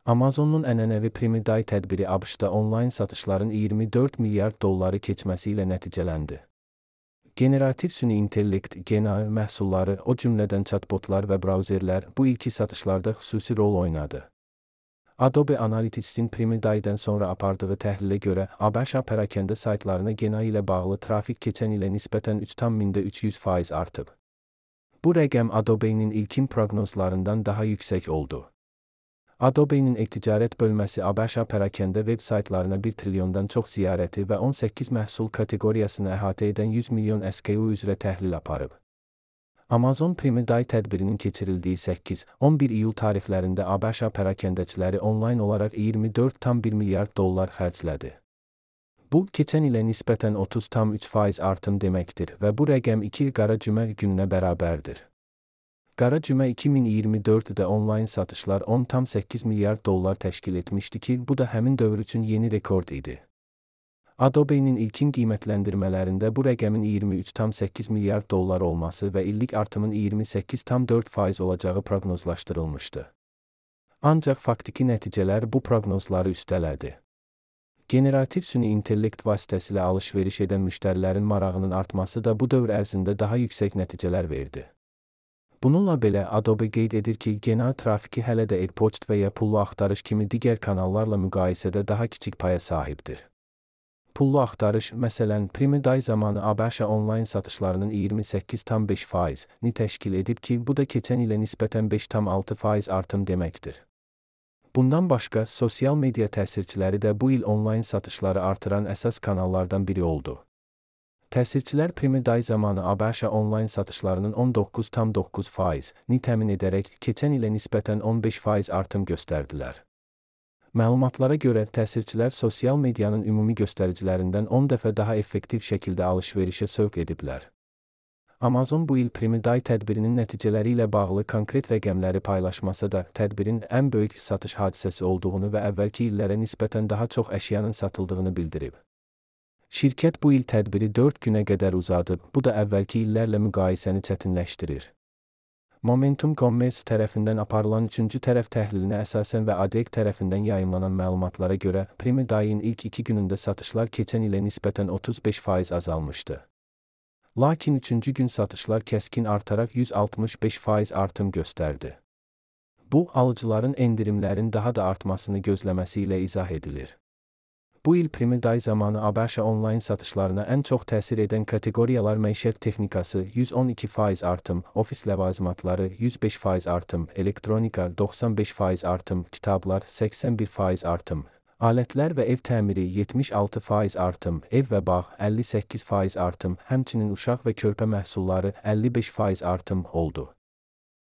Amazon'un ənənəvi Prime Day tədbiri ABŞ-da onlayn satışların 24 milyard dolları keçməsi ilə nəticələndi. Generativ süni intellekt, GNI məhsulları, o cümlədən chatbotlar və brauzerlər bu ilki satışlarda xüsusi rol oynadı. Adobe Analytics'in Prime Day'dən sonra apardığı təhlilə görə, ABŞ pərakəndə saytlarına GNI ilə bağlı trafik keçən ilə nisbətən 3,3% artıb. Bu rəqəm Adobe'nin ilkin proqnozlarından daha yüksək oldu. Adobe'nin e-ticarət bölməsi ABŞ pərakəndə veb saytlarına 1 trilyondan çox ziyarəti və 18 məhsul kateqoriyasını əhatə edən 100 milyon SKU üzrə təhlil aparıb. Amazon Prime Day tədbirinin keçirildiyi 8-11 iyul tarixlərində ABŞ pərakəndəçiləri onlayn olaraq 24,1 milyard dollar xərclədi. Bu, keçən ilə nisbətən 30,3% artım deməkdir və bu rəqəm 2 qara cümə gününə bərabərdir. Qara cümə 2024-də onlayn satışlar 10,8 milyard dollar təşkil etmişdi ki, bu da həmin dövr üçün yeni rekord idi. Adobe'nin ilkin qiymətləndirmələrində bu rəqəmin 23,8 milyard dollar olması və illik artımın 28,4% olacağı proqnozlaşdırılmışdı. Ancaq faktiki nəticələr bu proqnozları üstələdi. Generativ süni intellekt vasitəsilə alış-veriş edən müştərilərin marağının artması da bu dövr ərzində daha yüksək nəticələr verdi. Bununla belə, Adobe qeyd edir ki, GNI trafiki hələ də e-poçt və ya pullu axtarış kimi digər kanallarla müqayisədə daha kiçik paya sahibdir. Pullu axtarış, məsələn, Prime Day zamanı ABŞ onlayn satışlarının 28,5%-ni təşkil edib ki, bu da keçən ilə nisbətən 5,6% artım deməkdir. Bundan başqa, sosial media təsirçiləri də bu il onlayn satışları artıran əsas kanallardan biri oldu. Təsirçilər Prime Day zamanı ABŞ onlayn satışlarının 19,9%-ni təmin edərək keçən ilə nisbətən 15% artım göstərdilər. Məlumatlara görə, təsirçilər sosial medianın ümumi göstəricilərindən 10 dəfə daha effektiv şəkildə alış-verişə sövq ediblər. Amazon bu il Prime Day tədbirinin nəticələri ilə bağlı konkret rəqəmləri paylaşmasa da, tədbirin ən böyük satış hadisəsi olduğunu və əvvəlki illərə nisbətən daha çox əşyanın satıldığını bildirib. Şirkət bu il tədbiri 4 günə qədər uzadıb, bu da əvvəlki illərlə müqayisəni çətinləşdirir. Momentum Commerce tərəfindən aparılan 3-cü tərəf təhlilinə əsasən və ADEC tərəfindən yayımlanan məlumatlara görə, Prime Day'in ilk 2 günündə satışlar keçən ilə nisbətən 35% azalmışdı. Lakin 3-cü gün satışlar kəskin artaraq 165% artım göstərdi. Bu, alıcıların endirimlərin daha da artmasını gözləməsi ilə izah edilir. Bu il Prime Day zamanı ABŞ onlayn satışlarına ən çox təsir edən kateqoriyalar məişət texnikası 112% artım, ofis ləvazimatları 105% artım, elektronika 95% artım, kitablar 81% artım, alətlər və ev təmiri 76% artım, ev və bağ 58% artım, həmçinin uşaq və körpə məhsulları 55% artım oldu.